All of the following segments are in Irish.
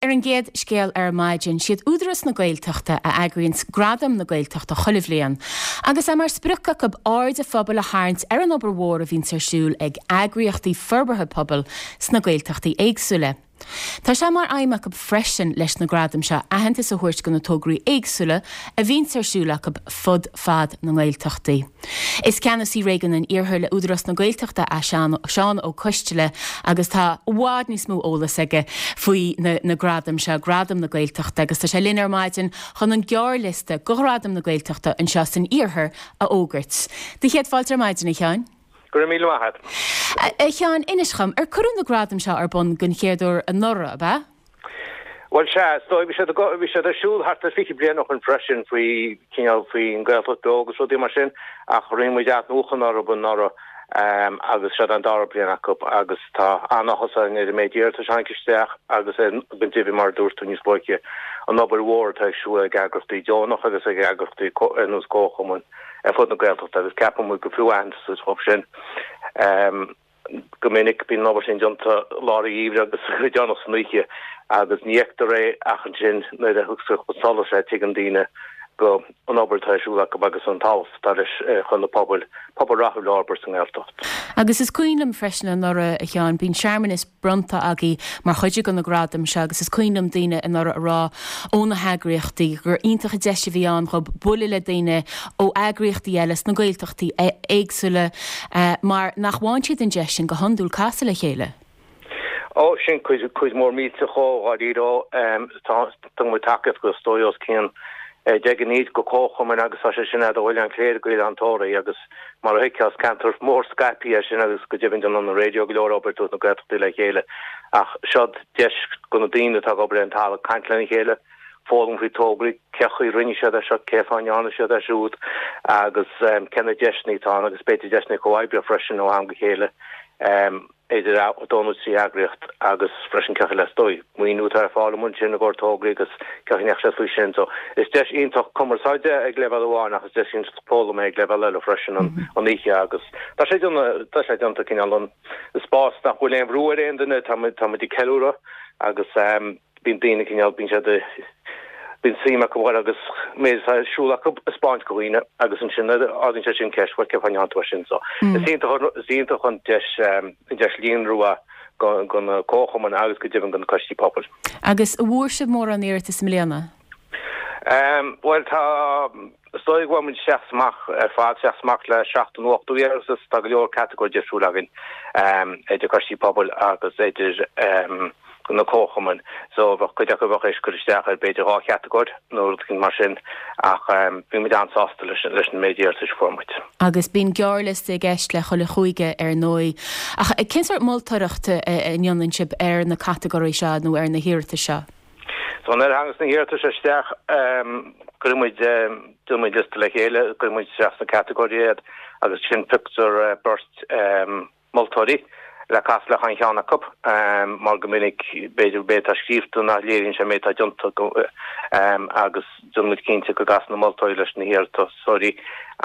Ar an gcéad scéal ar maidin, siad Údarás na Gaeltachta a eagraíonns Gradaim na Gaeltachta chuile bhliain, agus é mar sprioc acu aird an phobail a tharraingt ar an obair mhór a bhíonns ar siúl ag eagraíochtaí forbartha pobail sna Gaeltachtaí éagsúla. Tá sé mar aidhm acu freisin leis na gradaim seo aitheantas a thabhairt go na tograí éagsúla a bhíonns ar siúl acu fud fad na nGaeltachtaí. Is Ceannasaí Réigiún an Iarthair le Údarás na Gaeltachta é Seán Ó Coisteala agus tá i bhfad níos mó eolas aige faoi na gradaim seo, Gradaim na Gaeltachta, agus tá sé linn ar maidin chun an gearrliosta do Ghradaim na Gaeltachta anseo san Iarthar a fhógairt. Do chéad fáilte ar maidin, a Sheáin. Go raibh míle maith agat. A Sheáin, inis dhom, ar cuireadh na gradaim seo ar bun den chéad uair anuraidh, ab ea? Bhuel, sea, is dóigh, bhí siad, bhí siad ar siúl thart ar 20 bliain ó shin freisin faoi, cineál, faoin Gaeltacht Beo agus rudaí mar sin, ach rinne muid athnuachan orthu anuraidh agus seo an dara bliain acu agus tá an-áthas orainn ar an méid iarratais a tháinig isteach agus ar, go deimhin mar a dúirt tú níos luaithe, an obair mhór atá ar siúl ag eagraíochtaí deonach agus ag eagraíochtaí ar nós comharchumainn ar fud na Gaeltachta agus ceapann muid gur fiú aitheantas a thabhairt dóibh sin. Go minic bíonn an obair sin déanta lár an gheimhridh agus go deireanach san oíche agus ní fheictear é ach ansin nuair a thiocfas chun solais é tuigeann daoine go an obair atá ar siúl acu agus an tábhacht atá leis chun na pobail, pobal rathúil a fhorbairt sa nGaeltacht. Agus is cuimhin liom freisin anuraidh, a Sheáin, bíonn searmanas bronnta agaibh mar chuid de na gradaim seo agus is cuimhin liom daoine anuraidh a rá ó na heagraíochtaí gur iontach an deis a bhí ann dhób bualadh le daoine ó eagraíochtaí eile sna Gaeltachtaí éagsúla mar nach bhfaigheann siad an deis sin go hiondúil casadh le chéile. Ó, sin cuid, cuid mhór millteach dhó, dháiríre. Tá, tugann muid tacaíocht go, is dóigh, os cionn 10 gcinn de chomharchumainn agus tá sé sin ó Oileán Chléire go Oileán Tóraí agus mar a thuigfeá is ceantar mór scaipthe é sin agus go deimhin déanann an raidió go leor obair ag tabhairt na Gaeltachtaí le chéile ach seo deis do na daoine atá ag obair ar an talamh caint lena chéile, foghlaim faoi tograí, cé chaoi a rinne siad é seo, cé fáth a ndearna siad é siúd agus cé na deiseanna atá ann agus b'fhéidir deiseanna comhoibre freisin ó am go chéile idir dó nó 3 eagraíocht agus freisin cé chaoi le is dóigh maoiniú atá ar fáil amuigh ansin i gcomhair tograí agus cé chaoi a ndeachaigh siad faoi sin. So is deis iontach cumarsáide ag leibhéal amháin ach is deis iontach foghlama ag leibhéal eile freisin an oíche agus tá sé tá sé déanta cineál an spás nach bhfuil aon bhrú ar aon duine tá muid tá muid ag ceiliúradh agus Bíonn daoine cineál, bíonn siad, bíonn suim acu a dhul agus méid atá ar siúl acu a 'spáint do dhaoine agus ansin ardaíonn sé sin ceist, bhuel cén fáth a ndearna tú é sin? So is iontach, is iontach an deis, an deis líonrú é do, do na comharchumainn agus go deimhin do na coistí pobail. Agus an bhfuair sibh mórán iarratas i mbliana? Bhuel tá, Is dóigh go bhfuair muid isteach is amach ar fad, isteach is amach le 70 nó 80 iarratas. Tá go leor catagóir difriúil againn idir coistí pobail agus idir na comharchumainn. So bheadh cuid acu a bheadh théis cur isteach ar b'fhéidir dhá chatagóir nó rud éigin mar sin ach bhí muid an-sásta leis an méid iarratais a fuair muid. Agus bíonn gearrliosta i gceist le chuile chúige ar ndóigh. Ach cén sórt moltóireacht a ndéanann sibh ar na catagóirí seo nó ar na hiarratais seo? So nuair a thagas na hiarratais isteach, cuireann muid, déanann muid liosta le chéile, cuireann muid isteach sna catagóirí iad agus ansin pioctar beirt moltóirí le casadh le chaon cheann acu mar go minic b'fhéidir an méid atá scríobhta nach léiríonn sé an méid atá déanta agus déanann muid cinnte go gcasann na moltóirí leis na hiarratasóirí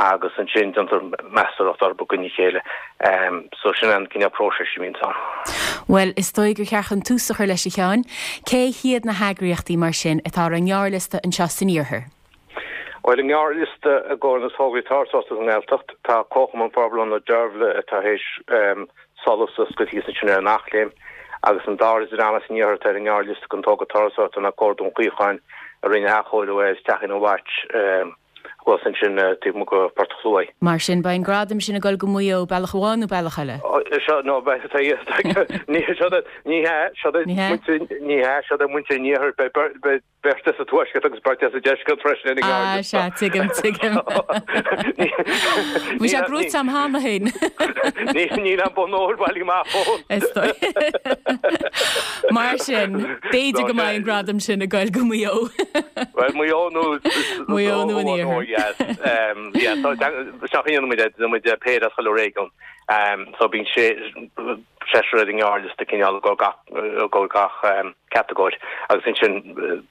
agus ansin déantar meastóireacht orthu i gcoinne a chéile. So sin an cineál próisis a bhíonns ann. Bhuel, is dóigh gur cheart chun tús a chur leis a Sheáin. Cé hiad na heagraíochtaí mar sin atá ar an ngearrliosta anseo san iarthar? Bhuel, an gearrliosta i gcomhair na tograí turasóireachta sa nGaeltacht, tá Comharchumann Forbartha Ionad Deirbhile atá théis Solas a oscailt thíos ansin ar an Eachléim agus an dara dream as an iarthar atá ar an ngearrliosta don togra turasóireachta ná Comhar Dún Chaocháin a rinne athchóiriú ar Teachín an Mhait thuas ansin taobh amuigh de Phort an Chluaidh. Mar sin, beidh an gradam sin ag dul go Maigh Eo, bealach amháin nó bealach eile. Seo, no, beidh, ní hea, ní hea, seo Ní hea? ní hea, seo do mhuintir an iarthair, beidh, beidh, Beirt as an tuaisceart agus beirt as an deisceart freisin ar an Ah, ngearrliosta. sea, tuigim, tuigim. Bhí sé gnóite a'm cheana féin. Níl an bonn óir bailithe amach fós. Is dóigh. Mar sin, b'fhéidir go mbeidh an gradam sin ag goil go Maigh Eo. Bhuel, Maigh Eo nó... Maigh Eo nó an Iarthar. Yes. Yeah, so seo a dhéanann muid, déanann muid péire as chuile réigiún. So bíonn sé seisear ar an ngearrliosta cineál i gcomhair gach catagóir agus ansin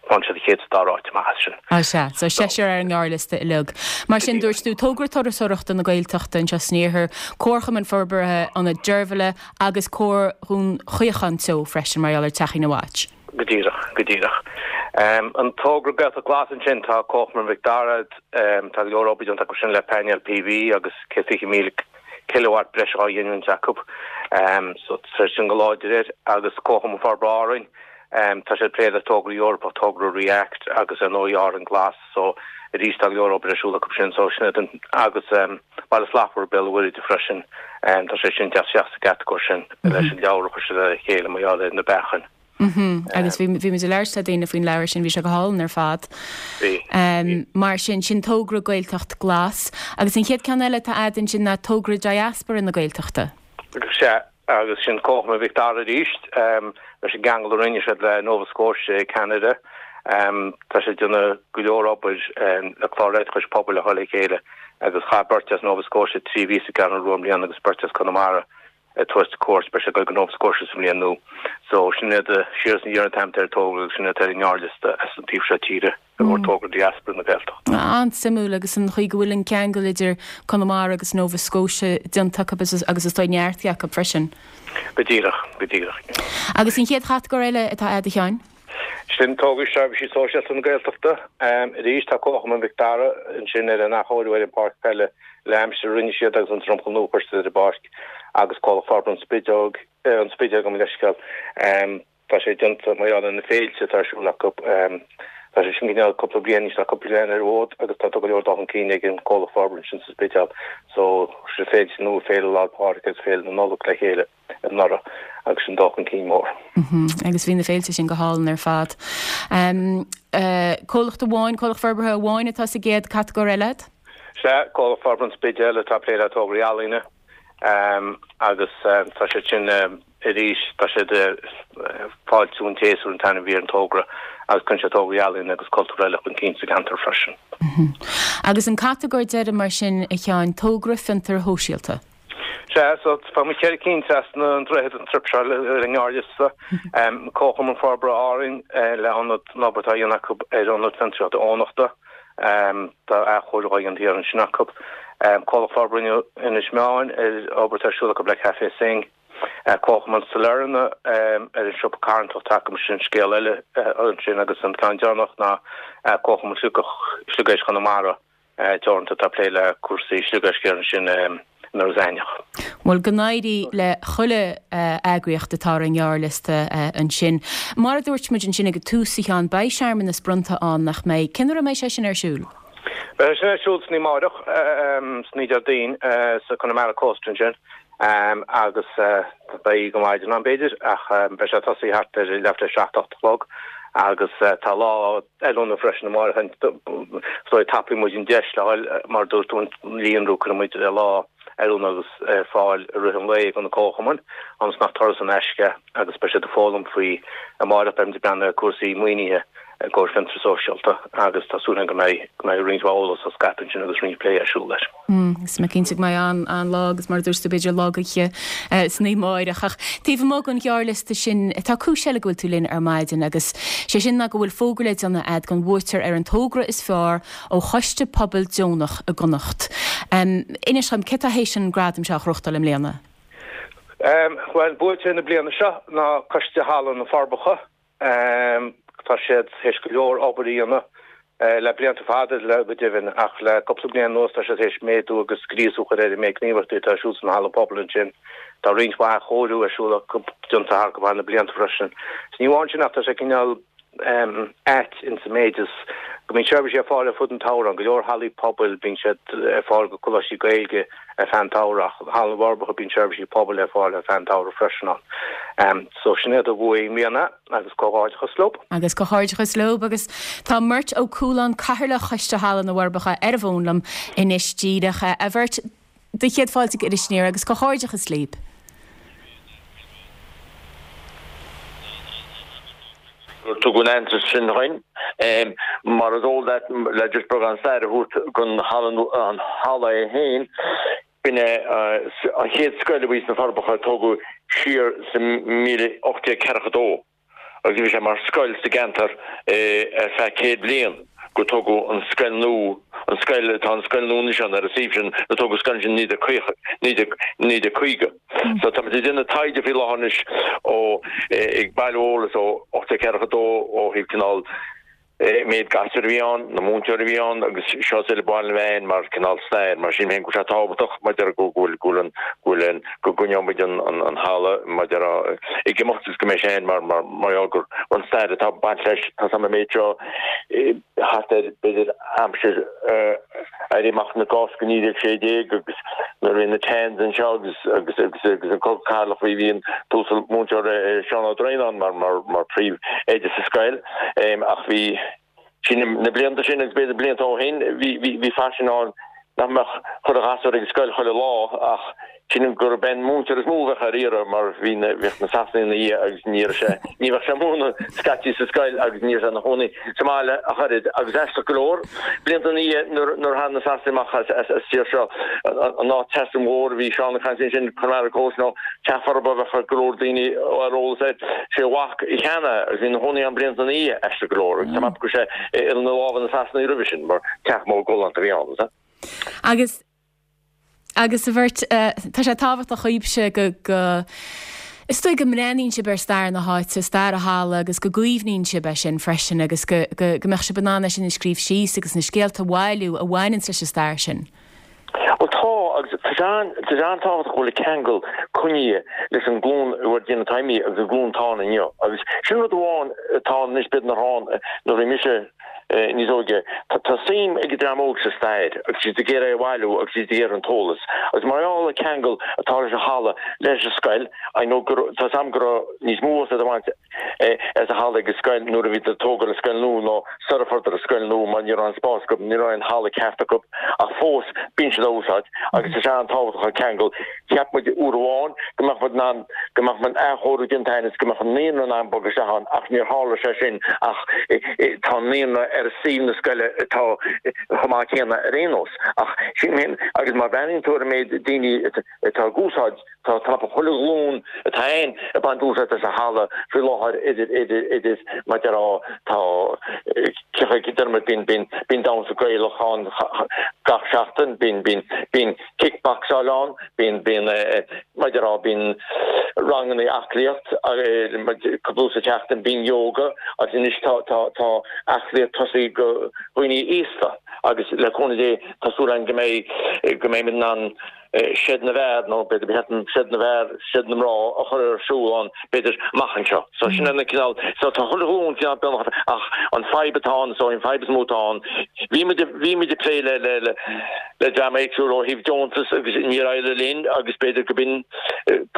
faigheann siad an chéad is dara áit amach as sin. Á sea, so seisear ar an ngearrliosta uilig. Mar sin, dúirt tú, Togra Turasóireachta na Gaeltachta anseo san Iarthar, Comharchumann Forbartha Ionad Deirbhile agus Comhar Dhún Chaocháin Teo freisin mar gheall ar Teachín a' Mhait. Go díreach, go díreach. An togra Gaeltacht Glas ansin, tá Comharchumann Mhic Dara, tá go leor obair déanta acu sin le painéil PV agus 120,000 kilowatt breise á ghiniúint acu. So tá sin go láidir air agus Comharchumann Forbartha Árainn, tá siad ag plé le togra Eorpach, togra REACT agus ar ndóigh Árainn Glas. So arís tá go leor obair ar siúl acu sin. So sin iad an, agus Baile Slachtmhar Béal an Mhuirthead freisin, tá sé sin ag teacht isteach sa gcatagóir sin leis an leabhar a chuir siad le chéile mar gheall ar na beachain. Agus bhí bhí muid ag labhairt le daoine faoin leabhar sin, bhí sé go hálainn ar fad. Bhí. Mar sin, sin togra Gaeltacht Glas. Agus an chéad ceann eile atá a'd ansin ná togra Diaspora na Gaeltachta. Sea, agus sin Comharchumann Mhic Dara arís, leis an gceangal a rinne siad le Nova Scotia i gCeanada. Tá siad ag déanamh go leor obair le clár oideachais pobail a chur le chéile agus chaith beirt as Nova Scotia 3 mhí sa gCeathrú Rua i mbliana agus beirt as Conamara ag tabhairt cuairt. Beidh siad ag dul go Nova Scotia sa mbliain nua. So sin iad, Siar is Aniar an t-ainm atá ar an togra agus sin iad ar an ngearrliosta as an taobh seo tíre. I gcomhair togra Diaspora na Gaeltachta. An-suimiúil agus an chaoi go bhfuil an ceangal idir Conamara agus Nova Scotia déanta acu agus is dóigh neartaithe acu freisin. Go díreach, go díreach. Agus an chéad chatagóir eile atá a'd a Sheáin? Sin tograí seirbhísí sóisialta na Gaeltachta. Arís tá Comharchumann Mhic Dara ansin ar an athchóiriú ar an bpáirc peile le aimsir a rinne siad agus an dromchla nua a chuir siad ar an bpáirc agus Comhlacht Forbartha an Spidéil, an Spidéil gabh mo leithscéal. Tá sé déanta mar gheall ar na féilte atá ar siúl acu. Tá sé sin cineál cúpla bliain anois, tá cúpla bliain ar an bhfód agus tá go leor dul chun cinn ag an gcomhlacht forbartha ansin sa Spidéal. So, sé féilte nua, Féile Lá 'le Pádraig agus Féile na Nollag le chéile anuraidh agus sin dul chun cinn mór. Agus bhí na féilte sin go hálainn ar fad. Comhlacht amháin, comhlacht forbartha amháin atá sa gcéad catagóir eile a'd? Sea, Comhlacht Forbartha an Spidéil atá ag plé le tograí ealaíne. Agus tá siad sin arís, tá siad Fáiltiú an tSéasúir an t-ainm a bhí ar an togra agus cuireann siad tograí ealaíne agus cultúrtha eile chun cinn sa gceantar freisin. Agus an catagóir deiridh mar sin, a Sheáin, togra fiontair shóisialta. Sea, so tá muid cheithre cinn trasna an droichead an trip seo ar an ngearrliosta. Comharchumann Forbartha Árainn le ionad, an obair atá á dhéanamh acu ar Ionad Fiontraíochta Eoghanachta. Tá athchóiriú á dhéanamh thiar ansin acu. Comhlacht Forbartha Inis Meáin ar obair atá ar siúl acu le Café Synge. Comharchumann Sailearna ar an siopa carthanachta atá acu, sin scéal eile ansin agus an ceann deireanach ná Comharchumann Sliogéisc Chonamara Teoranta atá ag plé le cúrsaí sliogéisc thiar ansin in Iorras Aithneach. Bhuel, go n-éirí le chuile eagraíocht atá ar an ngearrliosta ansin. Mar a dúirt muid ansin ag an tús, a Sheáin, beidh searmanas bronnta ann, nach mbeidh? Cén uair a mbeidh sé sin ar siúl? Beidh sé sin ar siúl san oíche amárach, san oíche Déardaoin, sa Connemara Coast ansin agus beidh go maidin ann b'fhéidir ach beidh sé ag tosaí thart ar leathuair tar éis a 7, 8 a chlog agus tá lá oiliúna freisin amárach. Is dóigh tapaíonn muid an deis le fháil, mar a dúirt tú, an líonrú, cuireann muid lá oiliúna agus ar fáil i rith an lae do na comharchumainn, ionas nach turas in aisce agus beidh siad ag foghlaim faoi amárach beidh muid ag breathnú ar cúrsaí maoinithe i gcomhair fiontar sóisialta agus tá súil againn go mbeidh go mbeidh roinnt mhaith eolas á scaipeadh ansin agus roinnt plé ar siúl leis. Is mé cinnte go mbeidh an-lá agus mar a dúirt tú b'fhéidir lá gaoithe san oíche amárach. Ach taobh amuigh den ghearrliosta sin, tá cúis eile go bhfuil tú linn ar maidin agus sé sin ná go bhfuil fógra le déanamh a'd don bhuaiteoir ar an togra is fearr ó Choiste Pobail Deonach i gConnacht. Inis dhom, cé atá théis an gradam seo a ghnóthachtáil i mbliana? Bhuel, buaiteoir na bliana seo ná Coiste Halla na Forbacha. Tá siad théis go leor obair a dhéanamh le blianta fada le go deimhin ach le cúpla bliain anuas tá siad théis méadú agus gríosú a chur ar an méid gníomhaíochtaí atá ar siúl san halla pobail ansin. Tá roinnt mhaith athchóiriú ar siúl acu déanta thar go maith na blianta freisin. Is ní amháin sin ach tá sé cineál ait insa méid is go mbíonn seirbhísí ar fáil ar fud an tsamhraidh ann, go leor hallaí pobail bíonn siad ar fáil go coláistí Gaeilge ar feadh an tsamhraidh ach Halla na bhForbacha bíonn seirbhísí pobail ar fáil ar feadh an tsamhraidh freisin ann. So sin iad a bhuaigh i mbliana agus comhghairdeachas leo. Agus comhghairdeachas leo agus tá Murt Ó Cualáin, Cathaoirleach Choiste Halla na bhForbacha ar an bhfón liom anois díreach. A Mhurt, do chéad fáilte go Iris Aniar agus comhghairdeachas libh. gur tugadh an aitheantas sin dhuinn. Mar is eol duit, le just beagán staire a thabhairt don halla, an halla é féin, b'in é an chéad scoil a bhí sna Forbacha a tógadh siar sa 1842 agus bhí sé mar scoil sa gceantar ar feadh 100 bliain. gur tógadh an scoil nua, an scoil, tá an scoil nua anois ann ar an suíomh sin, nuair a tógadh an scoil sin i 1950. So tá muid ag déanamh taighde faoi láthair anois ó, ag bailiú eolas ó 1842 ó thaobh cineál, méid gasúr a bhí ann, na múinteoirí a bhí ann agus seo is uile baile na mheáin mar cineál stair. Mar sin féin go bhfuil sé tábhachtach maidir go bhfuil go bhfuil an go bhfuil an go gcoinneoidh muid an an an halla maidir ag imeacht agus go mbeidh sé ann mar mar mar gheall gur an stair atá ag baint leis tá an méid seo thart ar b'fhéidir aimsir Éirí Amach na Cásca 1916 agus nuair a bhí na Tans anseo agus agus agus agus an Cogadh Cathartha bhí bhí an t-uasal múinteoir Seán Ó Droighneáin mar mar mar príomh oide sa scoil ach bhí sin na blianta sin agus b'fhéidir blianta ó shin bhí bhí bhí faisean ann nach mbeadh chuile ghasúr ag an scoil chuile lá ach Sílim gurb é an múinteoir is mó a bheadh ar iarraidh mar bhí na, bhíodh na Sasanaigh ina dhiaidh agus ní raibh sé, ní bheadh sé ag múineadh scaití sa scoil agus ní raibh sé ina chónaí sa mbaile ach oiread agus aisteach go leor, blianta ina dhiaidh nuair, nuair a tháinig na Sasanaigh amach as, as, as tír seo, an áit Teach Mhór a bhí Seán ag caint ansin, Connemara Close nó Teach Forba a bheadh go leor daoine ar eolas air, sé a mhac a cheannaigh é agus bhí ina chónaí ann blianta ina dhiaidh, aisteach go leor agus tá mé ag ceapadh go raibh sé ina lámha na Sasanaigh roimhe sin mar teach mór galánta a bhí ann. Agus. Agus a Bhert, tá sé tábhachtach dhaoibhse go, go, is dóigh go mbreathnaíonn sibh ar stair na háite, stair an halla agus go gcaomhnaíonn sibh é sin freisin agus go, go, go mbeadh sibh in ann é sin a scríobh síos agus na scéalta a bhailiú a bhaineanns leis an stair sin. Bhuel tá, agus tá sé an, tá sé an-tábhachtach go bhfuil an ceangal coinnithe leis an nglúin a bhfuil ag déanamh taimí agus an glúin atá ann inniu. Agus sin rud amháin atá ann anois b'fhéidir nach raibh ann nuair a bhí mise, níos óige. Tá suim ag an dream óg sa stair agus siad ag iarraidh é a bhailiú agus siad ag iarraidh an t-eolas. Agus mar gheall ar an ceangal atá leis an halla leis an scoil, I know go raibh, tá 's a'm go raibh níos mó úsáid á bhaint as an halla ag an scoil nuair a bhí ag tógáil an scoil nua nó sara fuaireadar an scoil nua mar ní raibh an spás acu, ní raibh an halla ceart acu ach fós bíonn siad á úsáid agus tá sé an-tábhachtach an ceangal. Cheap muid uair amháin go mbeadh muid in ann, go mbeadh an athchóiriú déanta againn is go mbeadh an naíonra in ann bogadh isteach ann ach níor tharla sé sin ach tá an naíonra ar suíomh na scoile atá chomh maith céanna ar aon nós. Ach sin féin agus má bhreathnaíonn tú ar an méid daoine atá ag úsáid, tá tapa chuile ghlúin atá ann ag baint úsáid as an halla faoi láthair idir, idir, idir, mar a déarfá, tá, ciochaidh, deir muid, bíonn, bíonn, bíonn damhsa Gaelach ann gach seachtain, bíonn, bíonn, bíonn. Kickboxáil ann, bíonn, bíonn, mar a déarfá, bíonn ranganna aclaíocht cúpla uair sa tseachtain, bíonn yoga agus anois tá, tá, tá aclaíocht tosaithe go dhaoine aosta agus le cúnamh Dé tá súil againn go mbeidh, go mbeimid in ann seid na bhfear nó b'fhéidir ba cheart dom seid na bhfear, seid na mná a chur ar siúl ann b'fhéidir amach anseo. So sin an cineál, so tá chuile ghlúin cineál beagnach ach an fadhb atá ann, so an fadhb is mó atá ann, bhí muid, bhí muid ag plé le, le, le, le dream éagsúil ó thaobh deontas agus níor éirigh linn agus b'fhéidir go b'in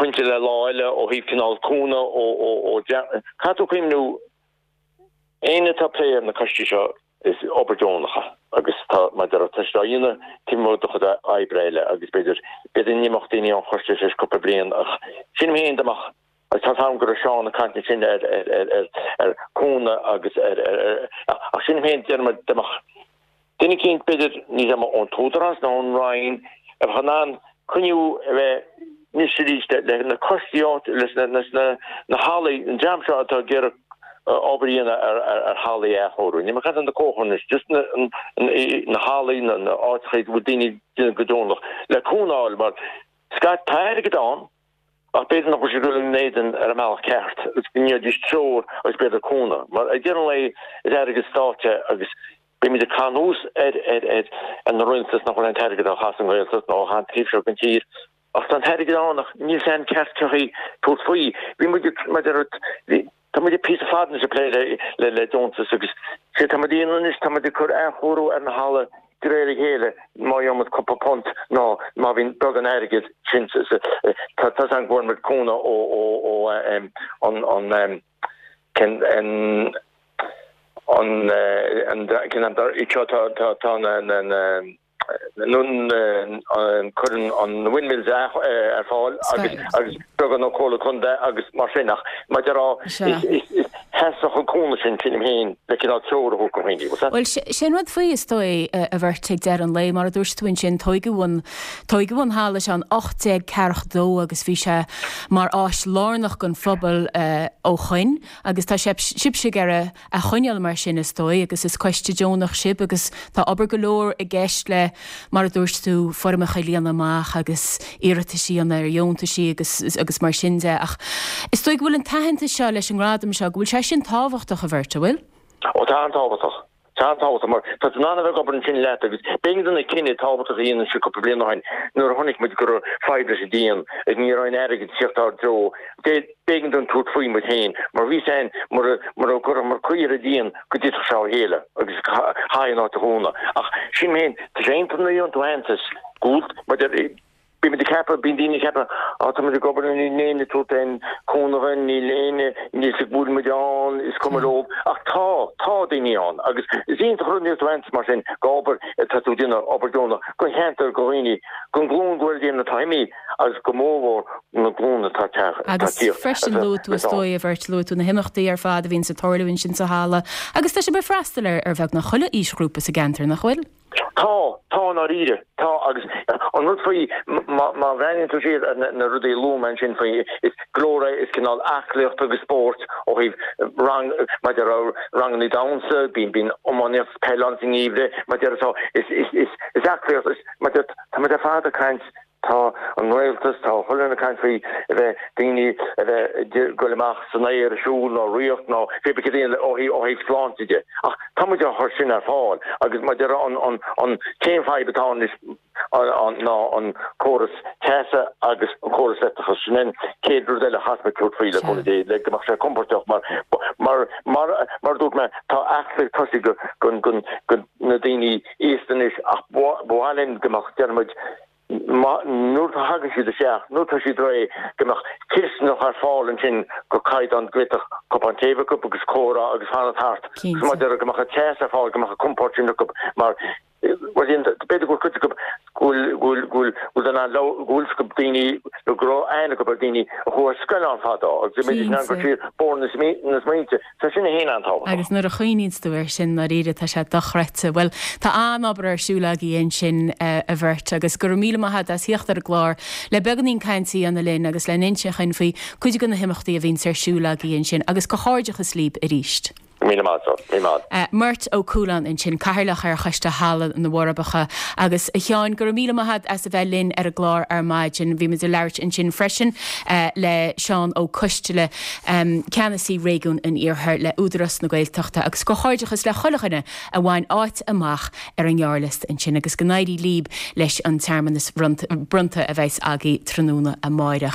pointe le lá eile ó thaobh cineál cúnamh ó ó ó caithfidh tú cuimhniú éinne atá ag plé ar na coistí seo is obair deonach é agus tá mar a déarfá tá siad á dhéanamh taobh amuigh de chuid oibre eile agus b'fhéidir b'fhéidir go n-imeodh daoine ón choiste tar éis cúpla bliain ach sílim féin dá mbeadh agus tá 's a'm go raibh Seán ag caint ansin ar ar ar ar ar cúnamh agus ar ar ar ach sílim féin déarfainn dá mbeadh Duine eicínt, b'fhéidir, níl 's a'm ón t-údarás nó ón Roinn, a bheadh in ann coinniú a bheith anois arís le na coistí áit, leis na na hallaí, an dream seo atá ag iarraidh obair a dhéanamh ar ar hallaí a athchóiriú. Níl mé ag caint ar na comharchumainn anois, just na na hallaí, na na áiteacha a bhfuil daoine ag déanamh go deonach, le cúnamh a fháil mar scaití tá airgead ann, Ach b'fhéidir nach bhfuil sé ag dul in éadan ar an mbealach ceart agus go ndéanfaidís treoir agus b'fhéidir cúnamh. Mar ag deireadh an lae is airgead stáit é agus bímid ag caitheamh anuas ar ar ar na rialtais nach bhfuil an t-airgead á chaitheamh sa nGaeltacht nó á chaitheamh taobh seo den tír. Ach tá an t-airgead ann ach níl 's a'm ceart cén chaoi tabhairt faoi. Bhí muid ag, mar a deir, Tá muid píosa fada anois ag plé le le deontas agus sé tá muid a dhéanamh anois, tá muid ag cur athchóiriú ar na halla de réir a chéile má gheobhaidh muid cúpla punt nó má bhíonn beagán airgid sin tá tá 's a'm go bhfuair muid cúnamh ó ó ó an an cen an an an cen an seo tá tá tá na na na Cuireann an Windmills ar fáil agus agus beagán ó Comhairle Contae agus mar sin ach mar a déarfá. Theastódh an cúnamh sin, sílim féin, le cineál treoir a thabhairt do dhaoine. Bhfuil 's Bhuel, sin rud faoi, is dóigh, a Mhurt, ag deireadh an lae, mar a dúirt tú ansin, tóigeadh an, tóigeadh an halla seo in 1842 agus bhí sé mar áis lárnach don phobal ó shoin agus tá sibhse ag iarraidh a choinneáil mar sin, is dóigh, agus is coiste deonach sibh agus tá obair go leor i gceist le, mar a dúirt tú, foirmeacha a líonadh amach agus iarratais a dhéanamh ar dheontaisí agus agus mar sin de. Ach is dóigh go bhfuil an t-aitheantas seo leis an ngradam seo, go bhfuil sé sin tábhachtach, a Mhurt, an bhfuil? Ó tá an-tábhachtach. Tá an-tábhachtach mar tá tú in ann a bheith ag obair ansin leat agus b'éigean dúinn cinneadh tábhachtach a dhéanamh ansin cúpla bliain ó shin nuair a chonaic muid go raibh fadhb leis an díon agus ní raibh aon airgead ag tíocht ár dtreo. B'éigean dúinn tabhairt faoi muid féin mar bhí 's a'inn mura mura gcuirfeamar caoi ar an díon go dtitfeadh sé ó chéile agus chaithfí an áit a dhúnadh. Ach sílim féin, tá sé iontach nuair a gheobhann tú aitheantas go bhfuil mar deir bíonn muid ag ceapadh, bíonn daoine ag ceapadh, á tá muid ag obair níl éinne ag tabhairt aon cúnamh dúinn, níl éinne, níl 's ag go bhfuil muid ann, is cuma leo. Ach tá, tá daoine ann agus is iontach an rud nuair a gheobhann tú aitheantas mar sin go obair atá tú ag déanamh, obair deonach, don cheantar, do dhaoine, don ghlúin go bhfuil daoine atá imithe agus go mórmhór na glúine atá ag tíocht. Agus freisin luaigh tú, is dóigh, a Mhurt, luaigh tú na himeachtaí ar fad a bhíonns ag tarlú ansin sa halla agus tá sibh ag freastal ar ar bheagnach chuile aoisghrúpa sa gceantar, nach bhfuil? Tá, tá i ndáiríre, tá agus an rud faoi, má bhreathnaíonn tú siar ar na rudaí a luaigh mé ansin faoi, is go leor é, is cineál aclaíocht agus spóirt ó thaobh rang, mar deir ranganna damhsa, bíonn, bíonn iománaíocht, peil ann sa ngeimhreadh, mar deir so, is, is, is, is aclaíocht, is, mar deir, tá muid ar fad ag caint Tá an rialtas, tá chuile dhuine ag caint faoi a bheith, daoine a bheith ag goil amach san aer ag siúl nó rith nó pé bith cad é ó thaobh sláinte de. Ach tá muid á chur sin ar fáil agus mar deir an an an t-aon fadhb atá ann anois ná an córas teasa agus an córas leictreachais. Sin an chéad rud eile a chaithfidh muid tabhairt faoi le cúnamh Dé le go mbeadh sé compordach mar mar mar mar a dúirt mé tá aclaíocht tosaithe go go go na daoine aosta anois ach ba mhaith linn go mbeadh, déarfaidh muid, nuair a thagann siad isteach, nuair atá siad réidh, go mbeadh cisteanach ar fáil ansin go caighdeán go bhféadfadh cupán tae acu agus comhrá agus fanacht thart. Agus mar deir go mbeadh an teas ar fáil, go mbeadh an compord sin acu mar bhuel b'fhéidir go bhfuil cuid acu go bhfuil go bhfuil go bhfuil go bhfuil go bhfuil acu daoine nó go raibh aithne acu ar daoine a chuaigh ar scoil ann fadó agus go mb'fhéidir go siar bóthar na smaointe. Tá sin féin an-tábhachtach. Agus nuair a chuimhníonns tú air sin, ndáiríre, tá sé dochreidte. Bhuel, tá an-obair ar siúl agaibh ansin, a Mhurt, agus go raibh míle maith agat as thíocht ar an gclár le beagáinín cainte a dhéanamh linn agus le n-insint dhuinn faoi cuid de na himeachtaí a bhíonns ar siúl agaibh ansin. Agus comhghairdeachas líb arís. Míle maith agat, míle maith. Murt Ó Cualáin ansin, Cathaoirleach ar Choiste Halla na bhForbacha. Agus a Sheáin, go raibh míle maith agat as a bheith linn ar an gclár ar maidin. Bhí muid ag labhairt ansin freisin le Seán Ó Coisteala, Ceannasaí Réigiún an Iarthair le Údarás na Gaeltachta agus comhghairdeachas le chuile dhuine a bhain áit amach ar an ngearrliosta ansin agus go n-éirí líb leis an tsearmanas bronnta a bheas agaibh tráthnóna amáireach.